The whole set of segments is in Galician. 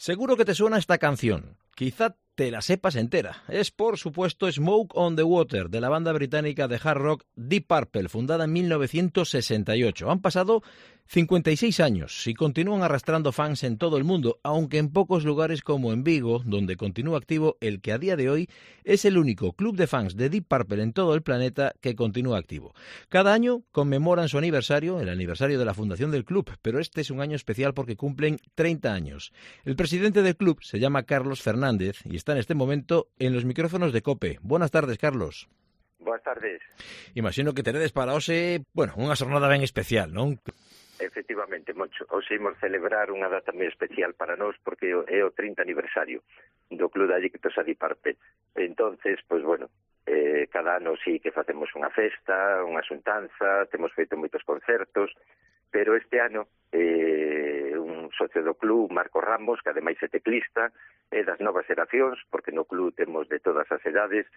Seguro que te suena esta canción. Quizá te la sepas entera. Es, por supuesto, Smoke on the Water, de la banda británica de hard rock Deep Purple, fundada en 1968. Han pasado 56 años y continúan arrastrando fans en todo el mundo, aunque en pocos lugares como en Vigo, donde continúa activo el que a día de hoy es el único club de fans de Deep Purple en todo el planeta que continúa activo. Cada año conmemoran su aniversario, el aniversario de la fundación del club, pero este es un año especial porque cumplen 30 años. El presidente del club se llama Carlos Fernández y está en este momento en los micrófonos de COPE. Buenas tardes, Carlos. Boas tardes. Imagino que teredes para hoxe, unha xornada ben especial, non? Efectivamente, Moncho. Hoxe imos celebrar unha data moi especial para nós porque é o 30 aniversario do Club de Adictos a Deep Purple. Entonces, cada ano sí que facemos unha festa, unha xuntanza, temos feito moitos concertos, pero este ano un socio do club, Marco Ramos, que ademais é teclista, é das novas xeracións, porque no club temos de todas as edades,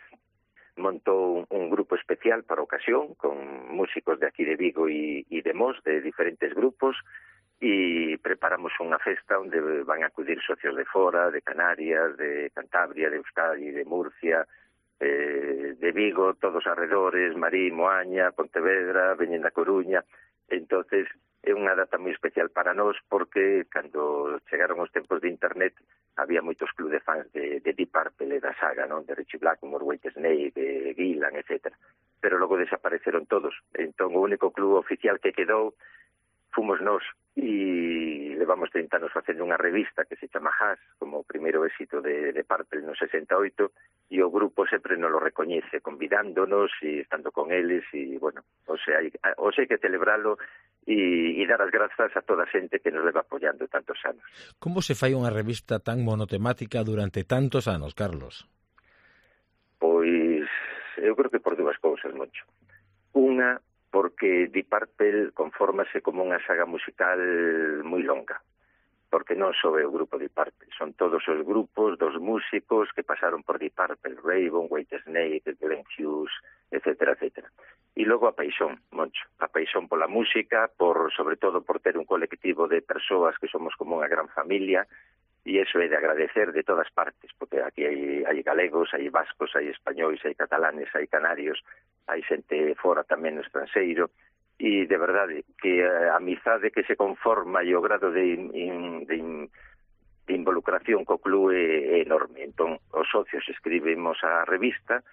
montou un grupo especial para a ocasión, con músicos de aquí de Vigo e de Mos, de diferentes grupos, e preparamos unha festa onde van a acudir socios de fora, de Canarias, de Cantabria, de Euskadi, de Murcia, de Vigo, todos arredores, Marín, Moaña, Pontevedra, veñen da Coruña. Entonces é unha data moi especial para nós porque cando chegaron os tempos de internet había moitos clubes de fans de Deep Purple e da saga, non? De Richie Blackmore, Whitesnake, de Gillan, etc. Pero logo desapareceron todos. Entón o único club oficial que quedou fomos nós e levamos 30 anos facendo unha revista que se chama Hash, como o primeiro éxito de Purple no 68, e o grupo sempre nos lo recoñece, convidándonos e estando con eles, e, bueno, hoxe hai que celebralo e dar as grazas a toda a xente que nos leva apoiando tantos anos. Como se fai unha revista tan monotemática durante tantos anos, Carlos? Pois, eu creo que por dúas cousas, Moncho. Unha, porque Deep Purple confórmase como unha saga musical moi longa, porque non só é o grupo Deep Purple, son todos os grupos dos músicos que pasaron por Deep Purple, Raven, Whitesnake, Glenn Hughes, etc., etc. E logo a paixón, Moncho, a paixón pola música, sobre todo por ter un colectivo de persoas que somos como unha gran familia, e iso é de agradecer de todas partes, porque aquí hai galegos, hai vascos, hai españois, hai catalanes, hai canarios, hai xente fora tamén no estranxeiro, e de verdade que a amizade que se conforma e o grado de involucración co club é enorme. Entón, os socios escribimos a revista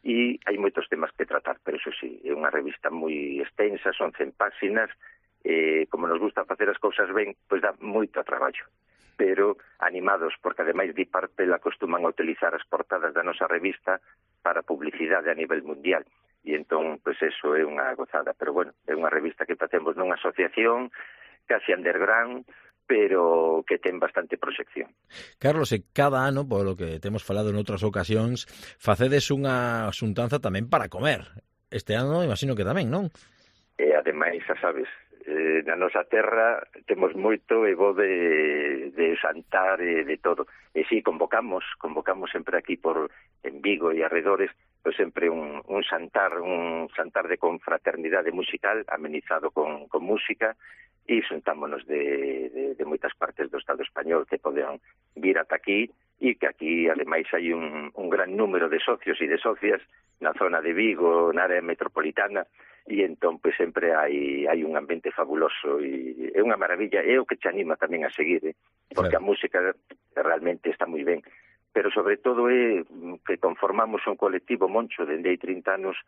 e hai moitos temas que tratar, pero eso sí, é unha revista moi extensa, son 100 páxinas, como nos gusta facer as cousas ben, pois dá moito traballo, pero animados, porque ademais Deep Purple acostuman a utilizar as portadas da nosa revista para publicidade a nivel mundial, e entón, pois eso é unha gozada, pero bueno, é unha revista que facemos nunha asociación casi underground, pero que ten bastante proxección. Carlos, e cada ano, polo que temos falado en outras ocasións, facedes unha xuntanza tamén para comer. Este ano, imagino que tamén, non? E ademais, xa sabes, na nosa terra temos moito e bo de xantar e de todo. E si, convocamos sempre aquí en Vigo e arredores, pois sempre un xantar de confraternidade musical amenizado con música, e xuntámonos de moitas partes do Estado español que poden vir ata aquí, e que aquí ademais hai un gran número de socios e de socias na zona de Vigo, na área metropolitana, e entón pois sempre hai un ambiente fabuloso e é unha maravilla, é o que te anima tamén a seguir, porque a música realmente está moi ben, pero sobre todo é que conformamos un colectivo, Moncho, dende hai 30 anos,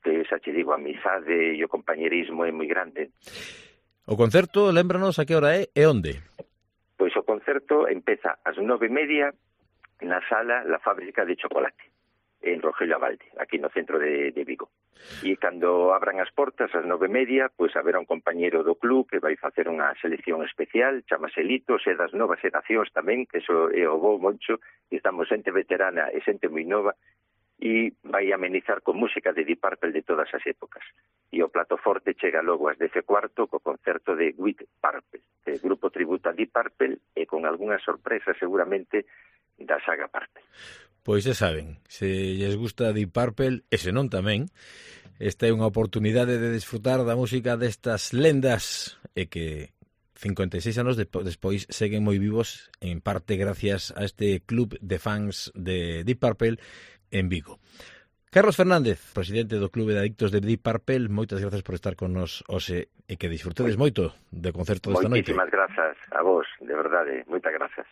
que xa te digo, a amizade e o compañerismo é moi grande. O concerto, lémbranos a que hora é e onde? Pois o concerto empeza ás 9:30 na sala La Fábrica de Chocolate, en Rogelio Abalde, aquí no centro de Vigo. E cando abran as portas ás 9:30, pois haberá un compañeiro do club que vai facer unha selección especial, chamase Litos, e das novas xeracións tamén, que iso é o bo, Moncho, e estamos xente veterana e xente moi nova, e vai amenizar con música de Deep Purple de todas as épocas. E o plato forte chega logo ás 10:15 co concerto de With Purple, que grupo tributo a Deep Purple, e con algunhas sorpresas seguramente da saga Purple. Pois xa saben, se lles gusta Deep Purple, e se non tamén, esta é unha oportunidade de desfrutar da música destas lendas e que 56 anos despois seguen moi vivos, en parte gracias a este club de fans de Deep Purple en Vigo. Carlos Fernández, presidente do Clube de Adictos de Deep Purple, moitas grazas por estar con nos hoxe e que disfrutedes moito do concerto desta noite. Moitísimas grazas a vos, de verdade, moitas grazas.